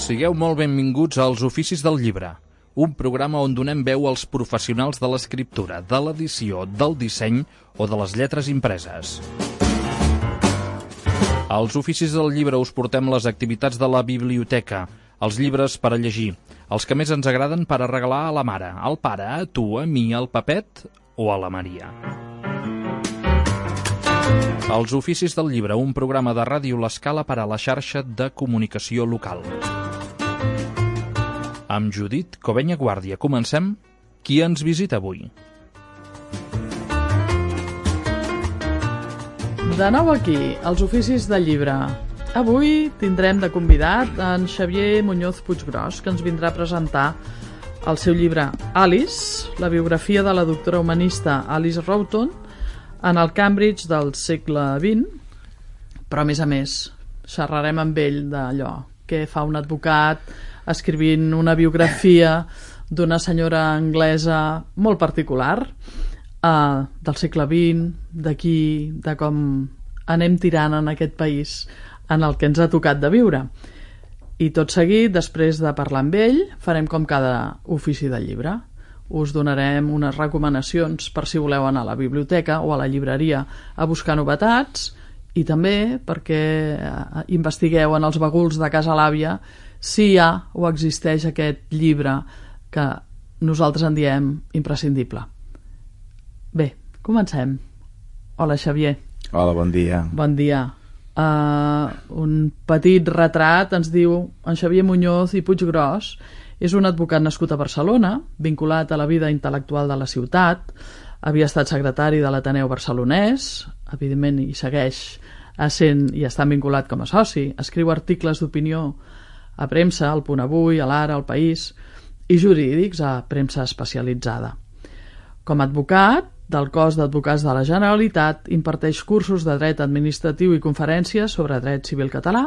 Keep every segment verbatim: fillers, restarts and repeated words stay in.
Sigueu molt benvinguts als Oficis del Llibre, un programa on donem veu als professionals de l'escriptura, de l'edició, del disseny o de les lletres impreses. Als Oficis del Llibre us portem les activitats de la biblioteca, els llibres per a llegir, els que més ens agraden per a regalar a la mare, al pare, a tu, a mi, al Pepet o a la Maria. Els Oficis del Llibre, un programa de Ràdio L'Escala per a la xarxa de comunicació local. Amb Judit Covenya Guàrdia comencem. Qui ens visita avui? De nou aquí, als Oficis del Llibre. Avui tindrem de convidat en Xavier Muñoz Puiggròs, que ens vindrà a presentar el seu llibre Alice, la biografia de la doctora humanista Alice Roughton en el Cambridge del segle vint, però a més a més xerrarem amb ell d'allò que fa un advocat escrivint una biografia d'una senyora anglesa molt particular eh, del segle vint, d'aquí, de com anem tirant en aquest país en el que ens ha tocat de viure. I tot seguit, després de parlar amb ell, farem com cada ofici del llibre. Us donarem unes recomanacions per si voleu anar a la biblioteca o a la llibreria a buscar novetats i també perquè investigueu en els baguls de casa l'àvia si hi ha o existeix aquest llibre que nosaltres en diem imprescindible. Bé, comencem. Hola, Xavier. Hola, bon dia. Bon dia. Uh, un petit retrat ens diu en Xavier Muñoz i Puiggròs. És un advocat nascut a Barcelona, vinculat a la vida intel·lectual de la ciutat. Havia estat secretari de l'Ateneu Barcelonès, evidentment hi segueix essent i està vinculat com a soci. Escriu articles d'opinió a premsa, al Punt Avui, a l'Ara, al País, i jurídics a premsa especialitzada. Com a advocat del cos d'advocats de la Generalitat, imparteix cursos de dret administratiu i conferències sobre dret civil català,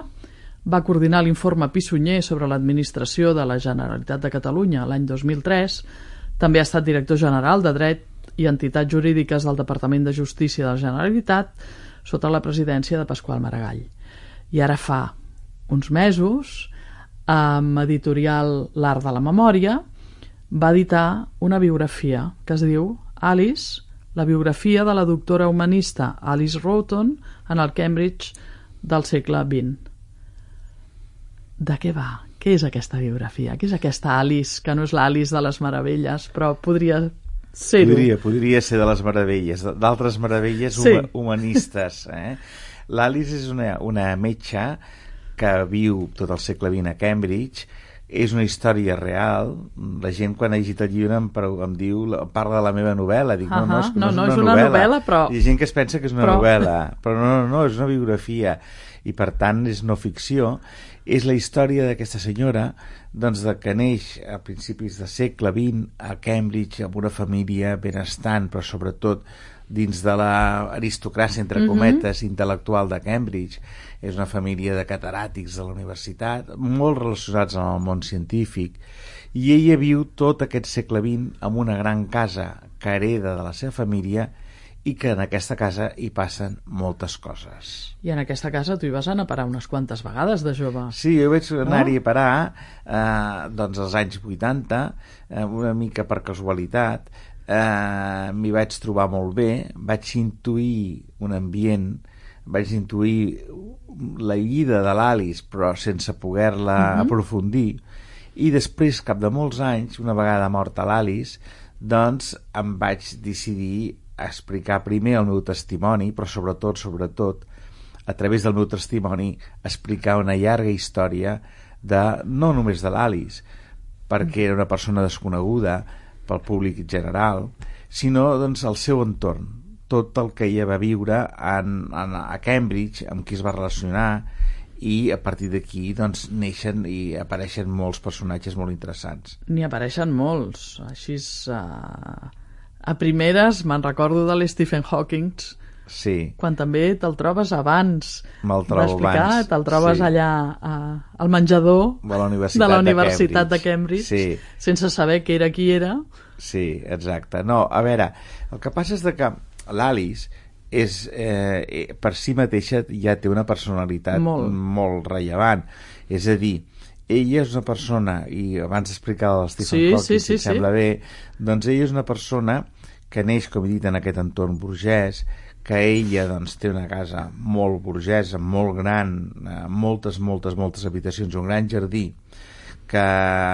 va coordinar l'informe Pissunyer sobre l'administració de la Generalitat de Catalunya l'any dos mil tres, també ha estat director general de Dret i Entitats Jurídiques del Departament de Justícia de la Generalitat sota la presidència de Pasqual Maragall. I ara fa uns mesos, amb editorial L'Art de la Memòria, va editar una biografia que es diu Alice, la biografia de la doctora humanista Alice Roughton en el Cambridge del segle vint. De què va? Què és aquesta biografia? Què és aquesta Alice, que no és l'Alice de les Meravelles, però podria ser-ho? Podria, podria ser de les Meravelles, d'altres meravelles sí. humanistes. Eh? L'Alice és una, una metge que viu tot el segle vint a Cambridge. És una història real. La gent quan ha llegit el llibre em, em diu, parla de la meva novel·la. Dic, uh -huh. no, no, és, no, no, no és, és una, una novel·la. novel·la, però... Hi ha gent que es pensa que és una però... novel·la, però no, no, no, és una biografia. I per tant és no ficció. És la història d'aquesta senyora, doncs, de que neix a principis del segle vint a Cambridge amb una família benestant, però sobretot dins de l'aristocràcia, entre cometes, uh-huh. intel·lectual de Cambridge. És una família de cataràtics de la universitat, molt relacionats amb el món científic, i ella viu tot aquest segle vint en una gran casa que hereda de la seva família i que en aquesta casa hi passen moltes coses. I en aquesta casa tu hi vas anar a parar unes quantes vegades de jove. Sí, jo vaig anar-hi a parar eh, doncs als anys vuitanta, eh, una mica per casualitat. Eh, m'hi vaig trobar molt bé, vaig intuir un ambient, vaig intuir la vida de l'Alice però sense poder-la uh-huh. aprofundir, i després, cap de molts anys, una vegada morta l'Alice, doncs em vaig decidir a explicar primer el meu testimoni, però sobretot, sobretot a través del meu testimoni explicar una llarga història de, no només de l'Alice, perquè era una persona desconeguda pel públic general, sinó doncs el seu entorn, tot el que ella va viure en, en, a Cambridge, amb qui es va relacionar, i a partir d'aquí doncs neixen i apareixen molts personatges molt interessants. N'hi apareixen molts, així uh, a primeres me'n recordo de l'Stephen Hawking, sí. quan també te'l trobes abans me'l trobo abans, te'l trobes sí. allà uh, al menjador de la Universitat de, la de Universitat Cambridge, de Cambridge sí. sense saber qui era qui era. Sí, exacte. No, a veure, el que passa és de que l'Alice és, eh, per si mateixa ja té una personalitat molt, molt rellevant. És a dir, ella és una persona, i abans explicava el Stephen Sí, Hawking, sí, si sí, et sembla sí. bé, doncs ella és una persona que neix, com he dit, en aquest entorn burgès, que ella doncs, té una casa molt burgesa, molt gran, eh, moltes, moltes, moltes habitacions, un gran jardí, que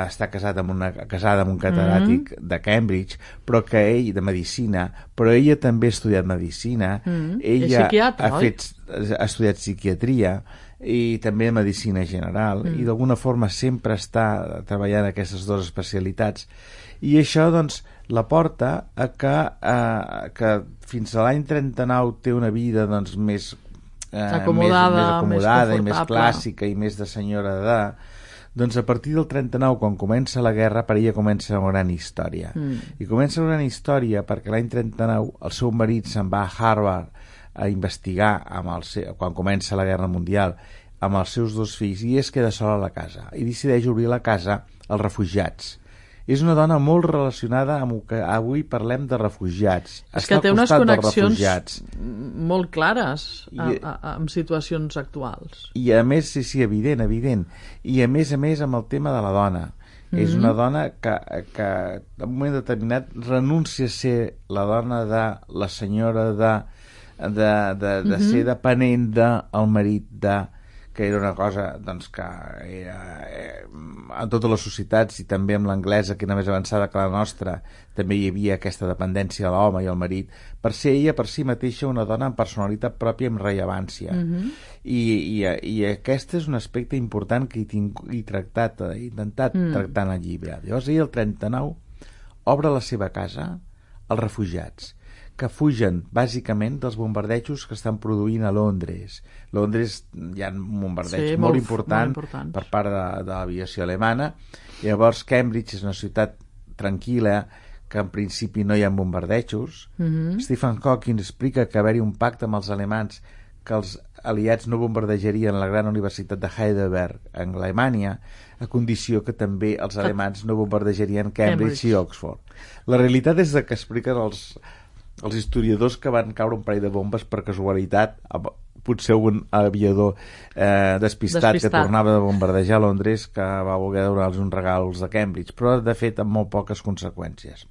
està casat amb una, casada amb un catedràtic mm-hmm. de Cambridge, però que ell, de medicina, però ella també ha estudiat medicina, mm-hmm. ella psiquiatra, ha, fet, ha estudiat psiquiatria i també medicina general, mm. i d'alguna forma sempre està treballant aquestes dues especialitats, i això doncs la porta a que, eh, que fins a l'any trenta-nou té una vida doncs més eh, acomodada, més, més acomodada més i més clàssica i més de senyora d'edat. Doncs a partir del trenta-nou, quan comença la guerra, per ella comença una gran història. Mm. I comença una gran història perquè l'any trenta-nou el seu marit se'n va a Harvard a investigar amb el seu, quan comença la Guerra Mundial amb els seus dos fills, i es queda sola a la casa i decideix obrir la casa als refugiats. És una dona molt relacionada amb el que avui parlem de refugiats. És que té unes connexions molt clares a, a, a, amb situacions actuals. I a més, sí, sí, evident, evident. I a més a més amb el tema de la dona. Mm-hmm. És una dona que, que en un moment determinat renuncia a ser la dona de la senyora de, de, de, de mm-hmm. ser dependent del marit de... que era una cosa doncs, que era, eh, en totes les societats i també amb l'anglesa, que era més avançada que la nostra, també hi havia aquesta dependència de l'home i el marit, per ser ella per si mateixa una dona amb personalitat pròpia, amb rellevància. Mm-hmm. I, i, i aquest és un aspecte important que he, tinc, he tractat, he intentat mm. tractar en el llibre. Llavors ella, el trenta-nou, obre la seva casa als refugiats, que fugen bàsicament dels bombardejos que estan produint a Londres. Londres hi ha un bombardeig sí, molt, molt, important molt important per part de, de l'aviació alemana. Llavors Cambridge és una ciutat tranquil·la, que en principi no hi ha bombardejos. Mm-hmm. Stephen Hawking explica que haver-hi un pacte amb els alemans que els aliats no bombardejarien la gran universitat de Heidelberg en Alemanya, a condició que també els alemans no bombardejarien Cambridge, Cambridge. i Oxford. La realitat és que expliquen els els historiadors que van caure un parell de bombes per casualitat, potser un aviador eh, despistat, despistat que tornava de bombardejar Londres, que va voler donar-los uns regals de Cambridge, però de fet amb molt poques conseqüències.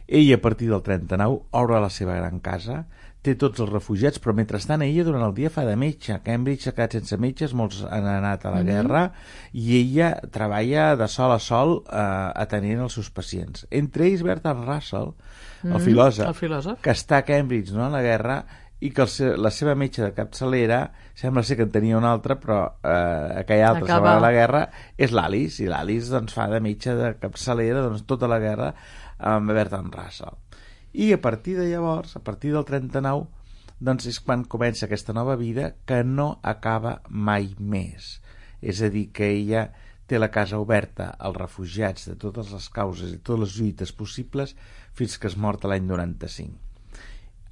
Ella, a partir del trenta-nou, obre la seva gran casa, té tots els refugiats, però mentrestant ella durant el dia fa de metge. Cambridge s'ha quedat sense metges, molts han anat a la mm-hmm. guerra, i ella treballa de sol a sol eh, atenent els seus pacients. Entre ells Bertrand Russell, el, mm-hmm. filòsof, el filòsof, que està a Cambridge no, a la guerra, i que el seu, la seva metge de capçalera sembla ser que en tenia una altra, però eh, aquella altra Acaba... a la guerra és l'Alice, i l'Alice doncs, fa de metge de capçalera doncs, tota la guerra amb Bertrand Russell. I a partir de llavors, a partir del trenta-nou, doncs és quan comença aquesta nova vida que no acaba mai més. És a dir, que ella té la casa oberta als refugiats de totes les causes i totes les lluites possibles fins que es mort l'any noranta-cinc.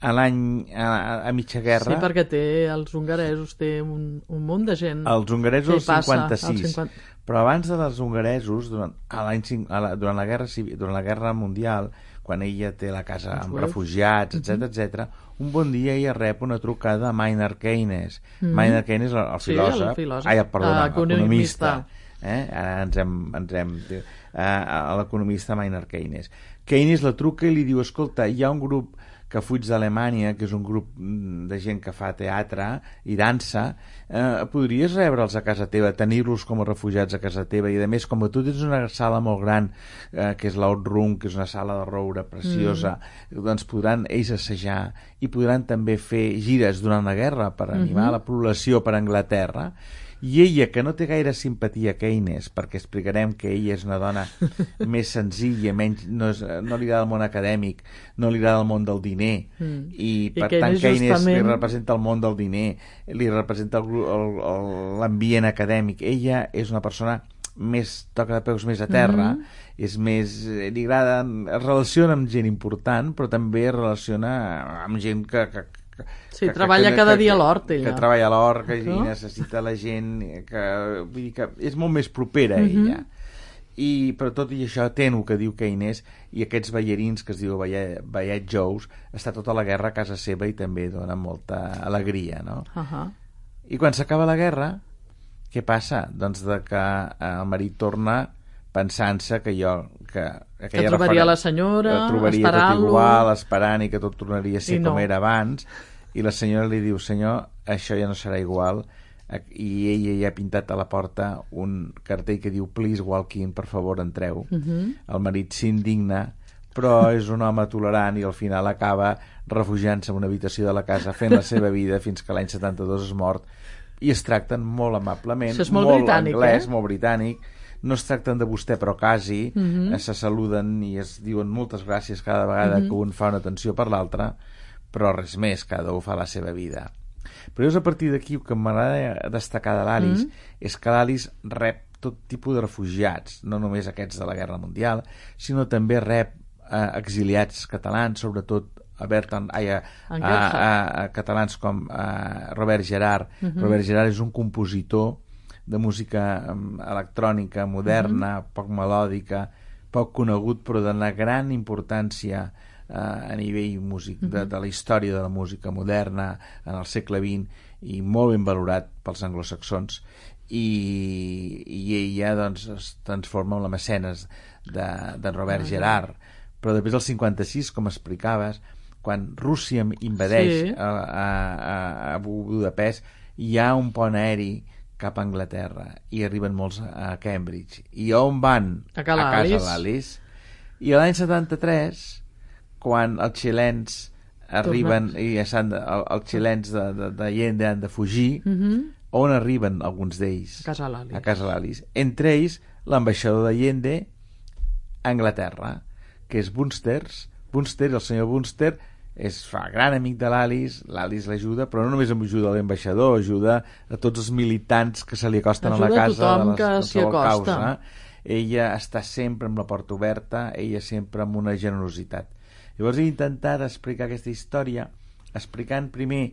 A l'any, a, a mitja guerra... Sí, perquè té els hongaresos, té un, un munt de gent... Els hongaresos el cinquanta-sis, cinquanta... però abans dels hongaresos, durant, a l'any, a la, durant, la guerra civil, durant la guerra mundial, quan ella té la casa amb refugiats, etcètera, etcètera, un bon dia ella rep una trucada a Maynard Keynes. Mm-hmm. Maynard Keynes, el, el filòsof... Sí, el filòsof. Ai, perdona, l'economista. Eh? Ara ens hem... Ens hem eh, l'economista Maynard Keynes. Keynes la truca i li diu, escolta, hi ha un grup que fuig d'Alemanya, que és un grup de gent que fa teatre i dansa, eh, podries rebre'ls a casa teva, tenir-los com a refugiats a casa teva, i a més, com que tu tens una sala molt gran, eh, que és l'Out Room, que és una sala de roure preciosa, mm. doncs podran ells assajar i podran també fer gires durant la guerra per animar mm-hmm. la població per Anglaterra. I ella, que no té gaire simpatia a Keynes, perquè explicarem que ella és una dona més senzilla, menys, no, és, no li agrada el món acadèmic, no li agrada el món del diner, mm. i per I tant Keynes justament... li representa el món del diner, li representa l'ambient acadèmic. Ella és una persona més toca de peus més a terra, mm-hmm. és més, li agrada, es relaciona amb gent important, però també es relaciona amb gent que... que Sí, que, treballa que, cada que, dia a l'hort, ella. Que treballa a l'hort, que no? necessita la gent, que, vull dir que és molt més propera a mm-hmm. ella. I, però tot i això, ten el que diu Keynes, i aquests ballarins que es diu ballet, ballet Joes, està tota la guerra a casa seva i també dona molta alegria, no? Uh-huh. I quan s'acaba la guerra, Què passa? Doncs de que el marit torna pensant-se que jo... Que, que trobaria referen... la senyora, esperant-lo... tot igual, esperant i que tot tornaria a ser no. com era abans, i la senyora li diu, senyor, això ja no serà igual, i ella ja ha pintat a la porta un cartell que diu please walk in, per favor entreu. Uh-huh. El marit s'indigna, però és un home tolerant i al final acaba refugiant-se en una habitació de la casa fent la seva vida fins que l'any setanta-dos és mort, i es tracten molt amablement, això és molt, molt britànic, anglès, eh? molt britànic, no es tracten de vostè però quasi, uh-huh. se saluden i es diuen moltes gràcies cada vegada uh-huh. que un fa una atenció per l'altre, però res més, cada un fa la seva vida. Però és a partir d'aquí que m'agrada destacar de l'Alice, uh-huh. és que l'Alice rep tot tipus de refugiats, no només aquests de la Guerra Mundial, sinó també rep eh, exiliats catalans, sobretot a, Berton, ai, a, a, a, a catalans com a Robert Gerard. Uh-huh. Robert Gerard és un compositor de música um, electrònica moderna, uh-huh. poc melòdica, poc conegut, però d'una gran importància uh, a nivell músic, uh-huh. de, de la història de la música moderna en el segle vint, i molt ben valorat pels anglosaxons, i, i ella doncs, es transforma en la mecenes de, de Robert uh-huh. Gerard. Però després del cinquanta-sis, com explicaves, quan Rússia invadeix sí. a, a, a Budapest, hi ha un pont aeri cap a Anglaterra i arriben molts a Cambridge. I on van? A, a casa l'Alice. I l'any setanta-tres, quan els xilens arriben, i ja s'han de, el, els xilens de, de, de Allende han de fugir, uh-huh. on arriben alguns d'ells? A casa l'Alice. A casa l'Alice. Entre ells, l'ambaixador d'Allende a Anglaterra, que és Bunsters. Bunster, el senyor Bunster, és fa gran amic de l'Alice, l'Alice l'ajuda, però no només ajuda a l'ambaixador, ajuda a tots els militants que se li acosten ajuda a la casa a tothom de les, que s'hi acosta. Causa. Ella està sempre amb la porta oberta, ella sempre amb una generositat. Llavors he intentat explicar aquesta història explicant primer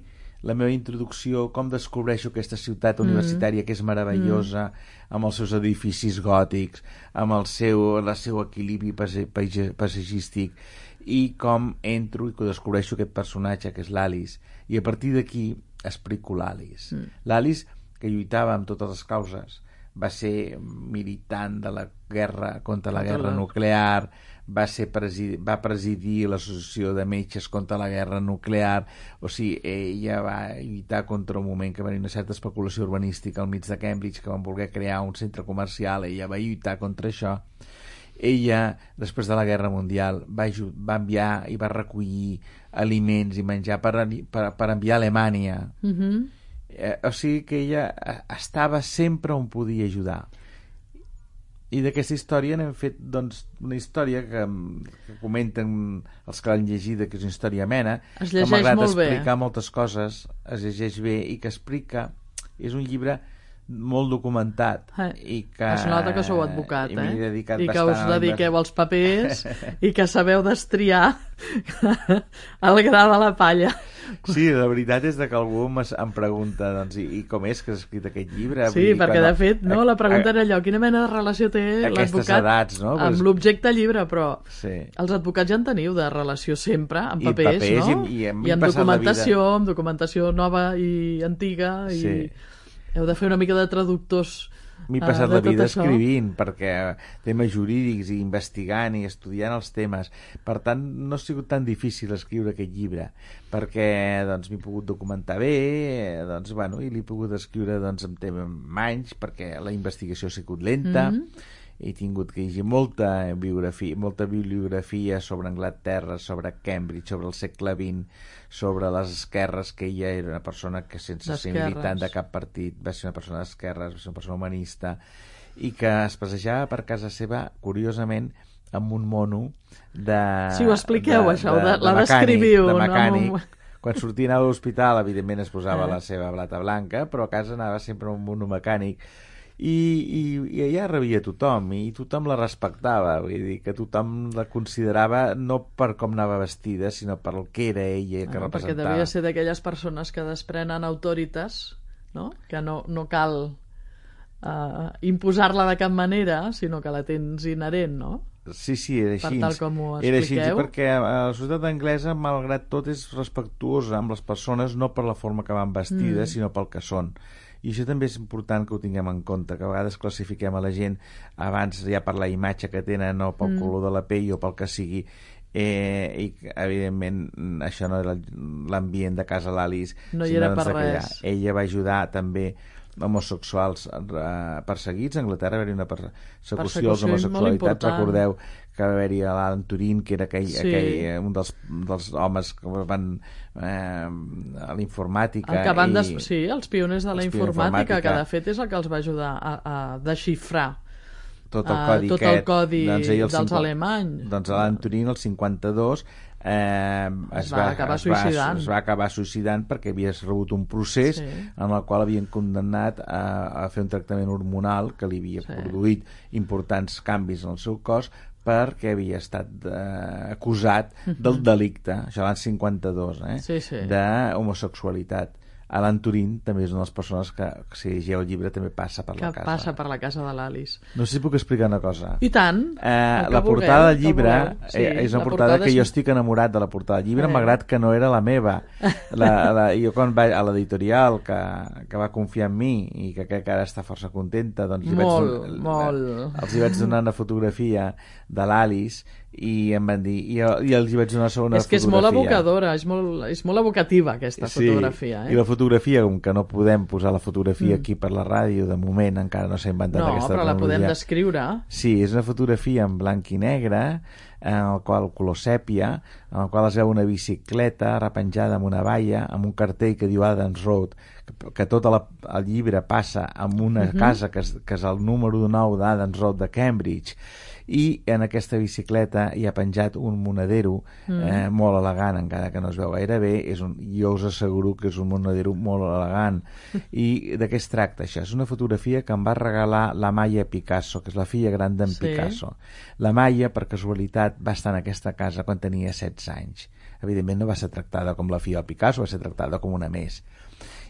la meva introducció, com descobreixo aquesta ciutat mm. universitària que és meravellosa, mm. amb els seus edificis gòtics, amb el seu, el seu equilibri paisatgístic, i com entro i descobreixo aquest personatge que és l'Alice, i a partir d'aquí explico l'Alice. Mm. L'Alice, que lluitava amb totes les causes, va ser militant de la guerra contra la guerra nuclear, va, ser presidir, va presidir l'associació de metges contra la guerra nuclear, o sigui, ella va lluitar contra un moment que va haver una certa especulació urbanística al mig de Cambridge, que van voler crear un centre comercial, ella va lluitar contra això. Ella, després de la Guerra Mundial, va, va enviar i va recollir aliments i menjar per, per, per enviar a Alemanya. Uh-huh. Eh, o sigui que ella estava sempre on podia ajudar. I d'aquesta història n'hem fet doncs, una història que, que comenten els que l'han llegida, que és una història amena, es llegeix que m'agrada molt explicar bé. moltes coses, es llegeix bé, i que explica... És un llibre molt documentat, eh, i que es nota que sou advocat, eh? I, i que us dediqueu als papers i que sabeu destriar el gra de la palla. Sí, la veritat és que algú em pregunta doncs, i, i com és que has escrit aquest llibre? Sí, Vull dir, perquè quan... de fet no, la pregunta era allò, quina mena de relació té l'advocat edats, no? amb l'objecte llibre, però sí. Els advocats ja en teniu de relació sempre, amb I papers, papers, no? I, i, I en documentació, amb documentació nova i antiga, i sí. Heu de fer una mica de traductors. M'he passat uh, la vida això. escrivint, perquè temes jurídics i investigant i estudiant els temes. Per tant, no ha sigut tan difícil escriure aquest llibre, perquè doncs, m'he pogut documentar bé, doncs, bueno, i l'he pogut escriure doncs, en temps anys, perquè la investigació ha sigut lenta, mm-hmm. he tingut que llegir molta biografia, molta bibliografia sobre Anglaterra, sobre Cambridge, sobre el segle vint, sobre les esquerres, que ella era una persona que sense ser militant de cap partit va ser una persona d'esquerres, va ser una persona humanista, i que es passejava per casa seva, curiosament, amb un mono de... Sí, ho expliqueu, de, això, de, de, de la mecànic, descriviu. De mecànic. No? Quan sortia a l'hospital, evidentment es posava eh. la seva blata blanca, però a casa anava sempre amb un mono mecànic. I, i, i ella rebia tothom, i tothom la respectava, vull dir que tothom la considerava no per com anava vestida, sinó per el que era ella, que ah, representava. Perquè devia ser d'aquelles persones que desprenen autoritas, no? Que no, no cal uh, imposar-la de cap manera, sinó que la tens inherent, no? Sí, sí, era així. Per tal com ho expliqueu. Era així, perquè la societat anglesa, malgrat tot, és respectuosa amb les persones, no per la forma que van vestides, mm. sinó pel que són. I això també és important que ho tinguem en compte, que a vegades classifiquem a la gent abans ja per la imatge que tenen o pel mm. color de la pell o pel que sigui, eh, i evidentment això no era l'ambient de casa l'Alice, no hi era per res. Ella va ajudar també homosexuals eh, perseguits. A Anglaterra va haver-hi una persecució als homosexualitats. Recordeu que va haver-hi l'Alan Turing, que era aquell, sí. aquell, un dels, dels homes que van eh, a la informàtica. Que van des... i... Sí, els pioners de la informàtica, informàtica, que de fet és el que els va ajudar a, a desxifrar tot el codi, uh, tot aquest, el codi doncs, el dels cinquanta, alemanys. Doncs l'Alan Turing, el cinquanta-dos, eh, es, es, va va, acabar es, va, suïcidant. es va acabar suïcidant perquè havia rebut un procés sí. en el qual havien condemnat a, a fer un tractament hormonal que li havia sí. produït importants canvis en el seu cos perquè havia estat eh, acusat del delicte, això l'any cinquanta-dos, eh, sí, sí. d'homosexualitat. Alan Turing també és una de les persones que, si llegeu el llibre, també passa per que la casa. Que passa per la casa de l'Alice. No sé si puc explicar una cosa. I tant. Eh, la portada del llibre sí, eh, és una portada, portada que jo estic enamorat de la portada del llibre, eh. malgrat que no era la meva. La, la, jo quan vaig a l'editorial que, que va confiar en mi i que crec que ara està força contenta, doncs molt, vaig, molt. els hi vaig donar una fotografia de l'Alice i em van dir, i, i els hi vaig donar una segona fotografia. És que és molt evocadora, és molt, és molt evocativa aquesta sí, fotografia. Eh? I la fotografia, com que no podem posar la fotografia mm. aquí per la ràdio, de moment encara no s'ha inventat no, aquesta tecnologia. No, però la podem descriure. Sí, és una fotografia en blanc i negre, en el qual color sèpia, en el qual es veu una bicicleta repenjada amb una valla, amb un cartell que diu Adams Road, que, que tot la, el llibre passa en una mm-hmm. casa que és, que és el número nou d'Adams Road de Cambridge, i en aquesta bicicleta hi ha penjat un monedero mm. eh, molt elegant, encara que no es veu gaire bé. És un, jo us asseguro que és un monedero molt elegant. I de què es tracta això? És una fotografia que em va regalar la Maya Picasso, que és la filla gran d'en sí. Picasso. La Maya, per casualitat, va estar en aquesta casa quan tenia setze anys. Evidentment no va ser tractada com la filla del Picasso, va ser tractada com una més.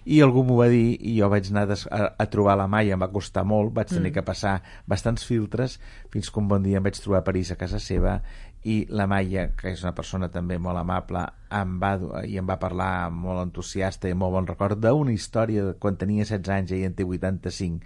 I algú m'ho va dir i jo vaig anar a, a trobar la Maya, em va costar molt, vaig tenir mm. que passar bastants filtres fins que un bon dia em vaig trobar a París a casa seva i la Maya, que és una persona també molt amable, em va, i em va parlar molt entusiasta i molt bon record d'una història de quan tenia setze anys i ell en té vuitanta-cinc,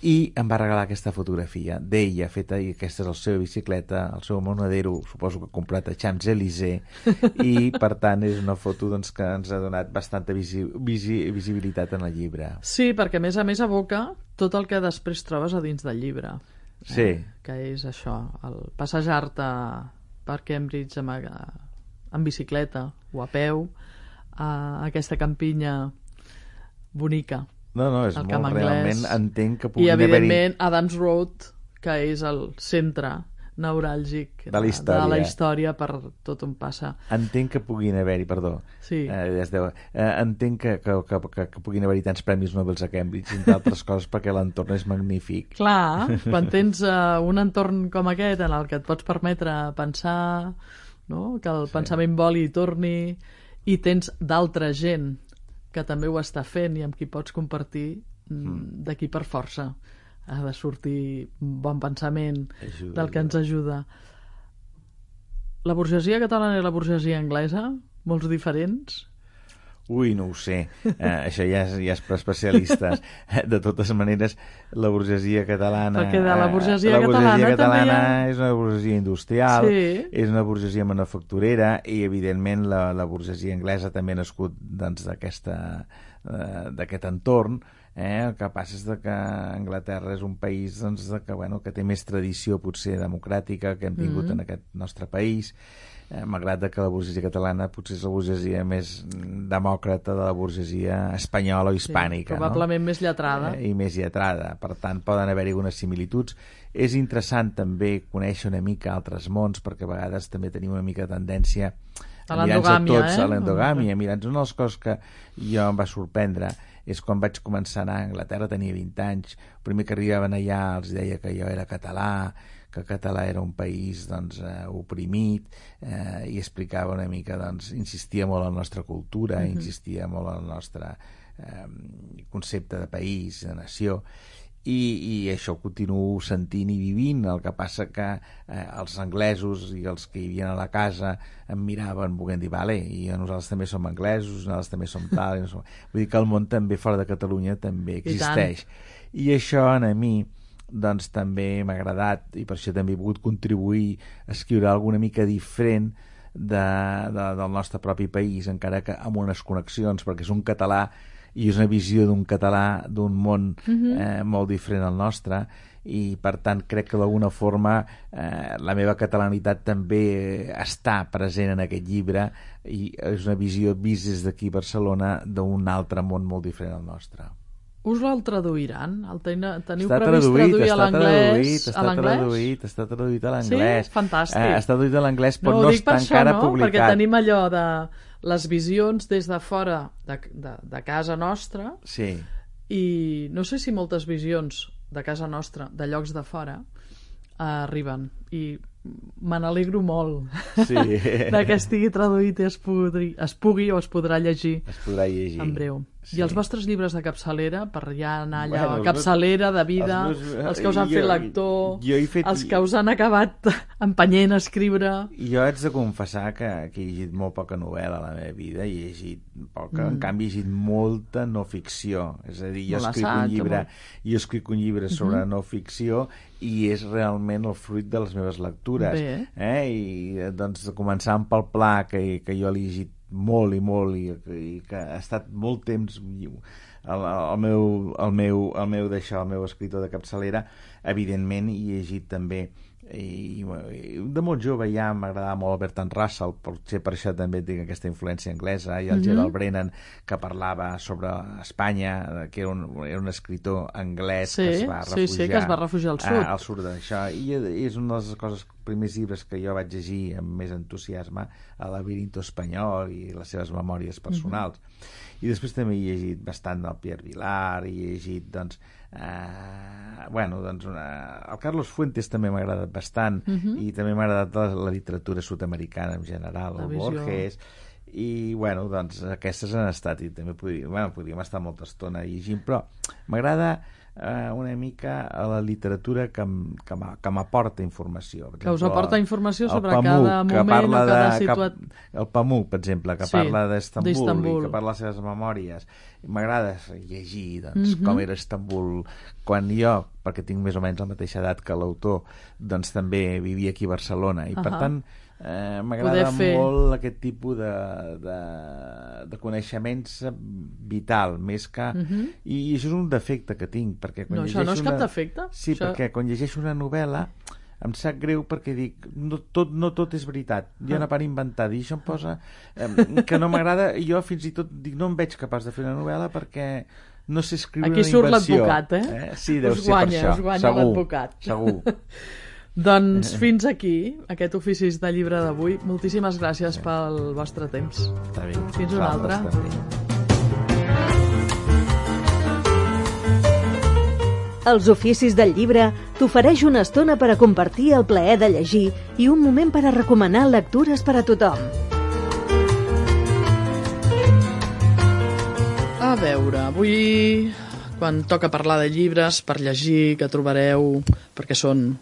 i em va regalar aquesta fotografia d'ella feta, i aquesta és la seva bicicleta, el seu monedero, suposo que comprat a Champs-Élysées, i per tant és una foto doncs, que ens ha donat bastanta visi visi visibilitat en el llibre. Sí, perquè a més a més evoca tot el que després trobes a dins del llibre. Sí. Eh? Que és això, el passejar-te per Cambridge amb, amb bicicleta o a peu, a aquesta campinya bonica. No, no, és molt, realment entenc que pugui haver-hi... I, evidentment, Adams Road, que és el centre neuràlgic de la història, de la història per tot on passa. Entenc que puguin haver-hi, perdó, sí. eh, deu, eh, entenc que, que, que, que, que puguin haver-hi tants premis Nobel a Cambridge, entre altres coses, perquè l'entorn és magnífic. Clar, quan tens uh, un entorn com aquest en el que et pots permetre pensar, no? Que el sí. pensament voli i torni, i tens d'altra gent que també ho està fent i amb qui pots compartir, mm. d'aquí per força ha de sortir bon pensament ajuda, del que ens ajuda. La burgesia catalana i la burgesia anglesa, molts diferents? Ui, no ho sé, eh, això ja és, ja és per especialistes. De totes maneres, la burgesia catalana... Perquè de la burgesia, la burgesia catalana, catalana ha... és una burgesia industrial, sí. és una burgesia manufacturera, i evidentment la, la burgesia anglesa també ha nascut doncs, d'aquest eh, entorn. Eh? El que passa és que Anglaterra és un país doncs, que, bueno, que té més tradició potser democràtica que hem tingut mm-hmm. en aquest nostre país, eh, malgrat que la burgesia catalana potser és la burgesia més demòcrata de la burgesia espanyola o hispànica. Sí, probablement no? més lletrada. Eh, I més lletrada, per tant poden haver-hi algunes similituds. És interessant també conèixer una mica altres mons, perquè a vegades també tenim una mica de tendència a l'endogàmia, tots eh? a l'endogàmia. Mira'ns, una de les coses que jo em va sorprendre és quan vaig començar a anar a Anglaterra, tenia vint anys, el primer que arribaven allà els deia que jo era català, que el català era un país doncs, eh, oprimit, eh, i explicava una mica, doncs, insistia molt en la nostra cultura, mm-hmm. insistia molt en el nostre eh, concepte de país, de nació, I, i això ho continuo sentint i vivint. El que passa que eh, els anglesos i els que hi havien a la casa em miraven volent dir, vale, i nosaltres també som anglesos, nosaltres també som tal, i no som... vull dir que el món també fora de Catalunya també existeix. I, I això a mi doncs també m'ha agradat, i per això també he volgut contribuir a escriure alguna mica diferent de, de, del nostre propi país, encara que amb unes connexions, perquè és un català i és una visió d'un català d'un món mm-hmm. eh, molt diferent al nostre, i per tant crec que d'alguna forma eh, la meva catalanitat també està present en aquest llibre, i és una visió vist des d'aquí a Barcelona d'un altre món molt diferent al nostre. Us el traduiran? El ten... Teniu està previst traduït, traduir a l'anglès? Està traduït, està traduït a l'anglès. Sí? Fantàstic. Eh, està traduït a l'anglès, però no, no està això, encara no? publicat. Perquè tenim allò de les visions des de fora de, de, de casa nostra, sí. I no sé si moltes visions de casa nostra, de llocs de fora, eh, arriben, i me n'alegro molt sí. de que estigui traduït i es pugui, es pugui o es podrà llegir, es podrà llegir. en breu. Sí. I els vostres llibres de capçalera, per ja anar allà, bueno, capçalera de vida, els, meus, els que us han jo, fet lector, jo fet... els que us han acabat empenyent a escriure... Jo haig de confessar que, que he llegit molt poca novel·la a la meva vida, i he llegit poca, mm. en canvi he llegit molta no ficció, és a dir, jo escric un llibre, jo escric un llibre sobre mm-hmm. no ficció, i és realment el fruit de les meves lectures. Bé. Eh? I doncs començant pel Pla, que, que jo l'he llegit molt i molt, i, i que ha estat molt temps el, el meu, el meu, el meu d'això, el meu escritor de capçalera, evidentment, i he llegit també, i, i de molt jove ja m'agradava molt Bertrand Russell, potser per això també tinc aquesta influència anglesa, i el mm-hmm. Gerald Brennan, que parlava sobre Espanya, que era un, era un escritor anglès sí, que es va refugiar, sí, sí, que es va refugiar al sud, a, al sud d'això, i és una de les coses, primers llibres que jo vaig llegir amb més entusiasme, El labirinto espanyol i les seves memòries personals. Mm-hmm. I després també he llegit bastant del Pierre Vilar, i he llegit doncs, eh, bueno, doncs una... el Carlos Fuentes també m'ha agradat bastant, mm-hmm. i també m'ha agradat la, la literatura sud-americana en general, el Borges, i bueno, doncs aquestes han estat, i també podríem, bueno, podríem estar molta estona llegint, però m'agrada eh, una mica a la literatura que, que m'aporta informació. Per que us exemple, aporta informació sobre Pamuk, cada moment o cada de, situat... Que, el Pamuk, per exemple, que sí, parla d'Estambul, i que parla de les seves memòries. M'agrada llegir doncs, mm-hmm. com era Estambul quan jo, perquè tinc més o menys la mateixa edat que l'autor, doncs també vivia aquí a Barcelona, i uh-huh. per tant eh, m'agrada fer... molt aquest tipus de, de, de coneixements vital, més que... Uh-huh. I, I això és un defecte que tinc, perquè quan no, això no és una... cap defecte. Sí, això... perquè quan llegeixo una novel·la em sap greu perquè dic, no tot, no tot és veritat, hi ha una part inventada, i això em posa eh, que no m'agrada, i jo fins i tot dic, no em veig capaç de fer una novel·la perquè no sé escriure aquí una surt invenció. l'advocat, eh? eh? Sí, deu us ser guanya, per això. us guanya segur, l'advocat. Segur. Doncs fins aquí, aquest oficis de llibre d'avui. Moltíssimes gràcies sí. pel vostre temps. Està bé. Fins una altra. Els oficis del llibre t'ofereix una estona per a compartir el plaer de llegir i un moment per a recomanar lectures per a tothom. A veure, avui, quan toca parlar de llibres per llegir, que trobareu, perquè són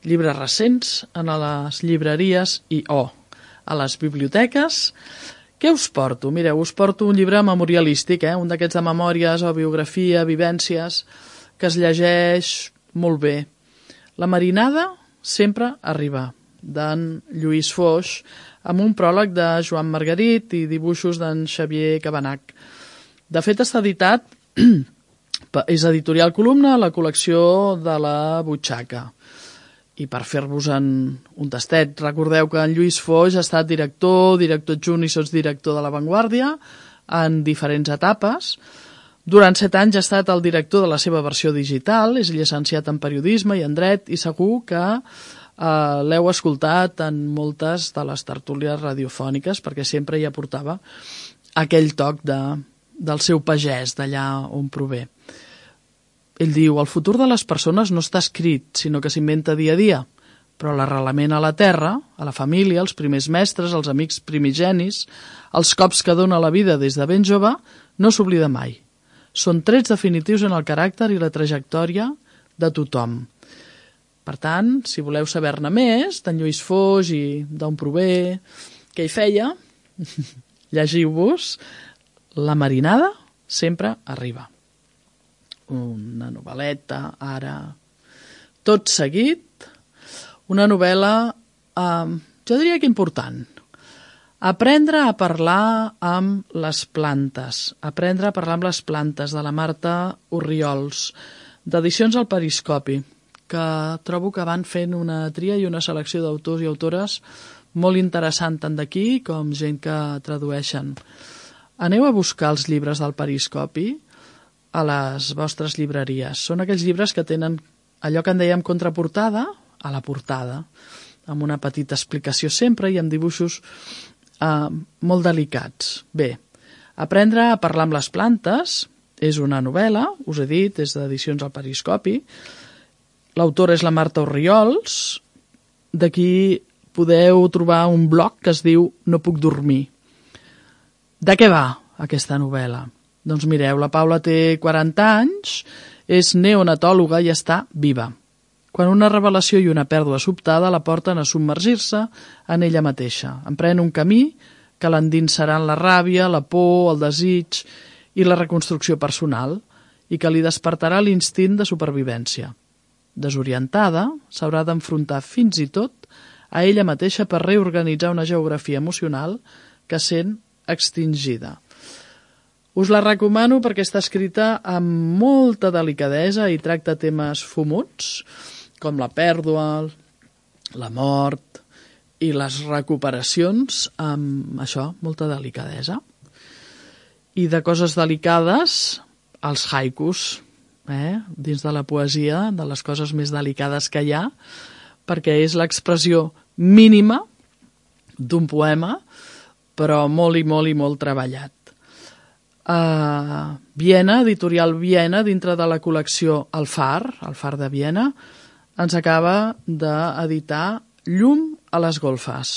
llibres recents, en les llibreries i o oh, a les biblioteques, què us porto? Mireu, us porto un llibre memorialístic, eh? Un d'aquests de memòries o biografia, vivències, que es llegeix molt bé. La marinada sempre arriba, d'en Lluís Foix, amb un pròleg de Joan Margarit i dibuixos d'en Xavier Cabanach. De fet, està editat, és editorial Columna, a la col·lecció de la Butxaca. I per fer-vos un, un tastet, recordeu que en Lluís Foix ha estat director, director adjunt i sotsdirector de La Vanguardia en diferents etapes. Durant set anys ha estat el director de la seva versió digital, és llicenciat en periodisme i en dret, i segur que eh, l'heu escoltat en moltes de les tertúlies radiofòniques, perquè sempre hi aportava aquell toc de, del seu pagès, d'allà on prové. Ell diu, el futur de les persones no està escrit, sinó que s'inventa dia a dia, però l'arrelament a la terra, a la família, els primers mestres, els amics primigenis, els cops que dona la vida des de ben jove, no s'oblida mai. són trets definitius en el caràcter i la trajectòria de tothom. Per tant, si voleu saber-ne més d'en Lluís Foix i d'on prové, què hi feia, llegiu-vos La marinada sempre arriba. Una novel·leta, ara, tot seguit, una novel·la, eh, jo diria que important. Aprendre a parlar amb les plantes. Aprendre a parlar amb les plantes, de la Marta Orriols, d'Edicions al Periscopi, que trobo que van fent una tria i una selecció d'autors i autores molt interessant, tant d'aquí com gent que tradueixen. Aneu a buscar els llibres del Periscopi a les vostres llibreries. Són aquells llibres que tenen allò que en dèiem contraportada a la portada, amb una petita explicació sempre i amb dibuixos eh, molt delicats. Bé, Aprendre a parlar amb les plantes és una novel·la, us he dit, és d'Edicions al Periscopi. L'autora és la Marta Orriols. D'aquí podeu trobar un blog que es diu No puc dormir. De què va aquesta novel·la? Doncs mireu, la Paula té quaranta anys, és neonatòloga i està viva. Quan una revelació i una pèrdua sobtada la porten a submergir-se en ella mateixa. Emprèn un camí que l'endinsarà en la ràbia, la por, el desig i la reconstrucció personal i que li despertarà l'instint de supervivència. Desorientada, s'haurà d'enfrontar fins i tot a ella mateixa per reorganitzar una geografia emocional que sent extingida. Us la recomano perquè està escrita amb molta delicadesa i tracta temes fumuts, com la pèrdua, la mort i les recuperacions, amb això, molta delicadesa. I de coses delicades, els haikus, eh? Dins de la poesia, de les coses més delicades que hi ha, perquè és l'expressió mínima d'un poema, però molt i molt i molt treballat. Uh, Viena, editorial Viena, dintre de la col·lecció El Far, El Far de Viena, ens acaba d'editar Llum a les golfes.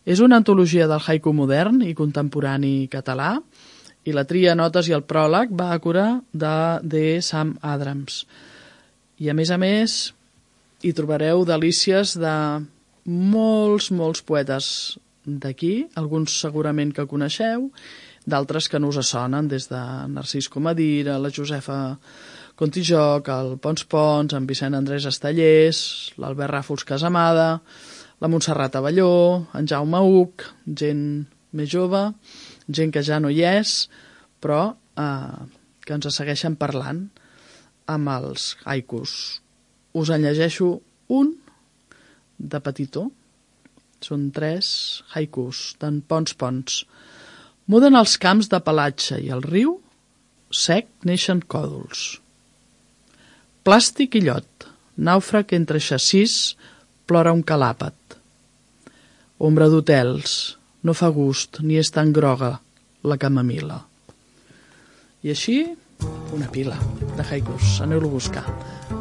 És una antologia del haiku modern i contemporani català i la tria, notes i el pròleg va a cura de, de Sam Adrams. I a més a més hi trobareu delícies de molts, molts poetes d'aquí, alguns segurament que coneixeu, d'altres que no us sonen, des de Narcís Comadira, la Josefa Contijoc, el Pons Pons, en Vicent Andrés Estallés, l'Albert Ràfols Casamada, la Montserrat Avelló, en Jaume Huc, gent més jove, gent que ja no hi és, però eh, que ens segueixen parlant amb els haikus. Us en llegeixo un de petitó. Són tres haikus d'en Pons Pons. Muden els camps de pelatge i el riu sec neixen còdols. Plàstic i llot, nàufrag entre xassís, plora un calàpat. Ombra d'hotels, no fa gust ni és tan groga la camamila. I així, una pila de haikus. Aneu-lo a buscar.